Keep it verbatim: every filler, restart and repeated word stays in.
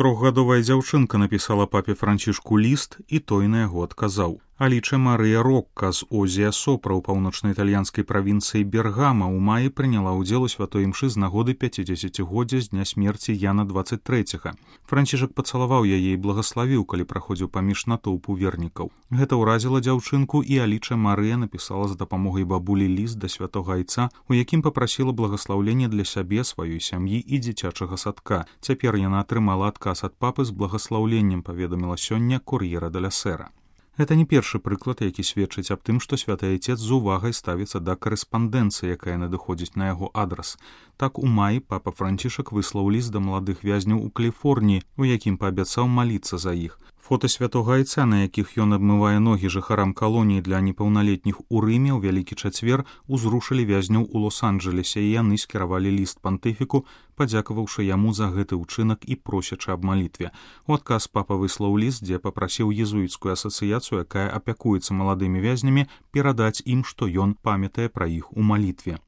Трохгадовая дзяўчынка напісала папе Францішку ліст, і той на яго адказаў. Аліча Марыя Рокка з Озія Сопра ў паўночна-італьянскай правінцыі Бергама ў маі прыняла ўдзел у святой імшы з нагоды пяцідзесяцігоддзя з дня смерці Яна дваццаць трэцяга. Францішак пацалаваў яе і благаславіў, калі праходзіў паміж натоўпу вернікаў. Гэта ўразіла дзяўчынку, і Аліча Марыя напісала з дапамогай бабулі ліст да святога айца, у якім папрасіла благаслаўлення для сябе, сваёй сям'і і дзіцячага садка. Цяпер яна атрымала адказ ад папы з благаслаўленнем, паведаміла сёння Кур'ера деля Сера. Гэта не першы прыклад, які сведчыць аб тым, што святы айцец з увагай ставіцца да карэспандэнцыі, якая надыходзіць на яго адрас. Так, у маі папа Францішак выслаў ліст да маладых вязняў у Каліфорніі, у якім паабяцаў маліцца за іх. Фота святога айца, на якіх ён абмывае ногі жыхарам калоніі для непаўналетніх у Рыме ў Вялікі чацвер, узрушылі вязняў у Лос-Анджэлесе, і яны скіравалі ліст пантыфіку, падзякаваўшы яму за гэты ўчынак і просячы аб малітве. У адказ папа выслаў ліст, дзе папрасіў езуіцкую асацыяцыю, якая апякуецца маладымі вязнямі, перадаць ім, што ён памятае пра іх у малітве.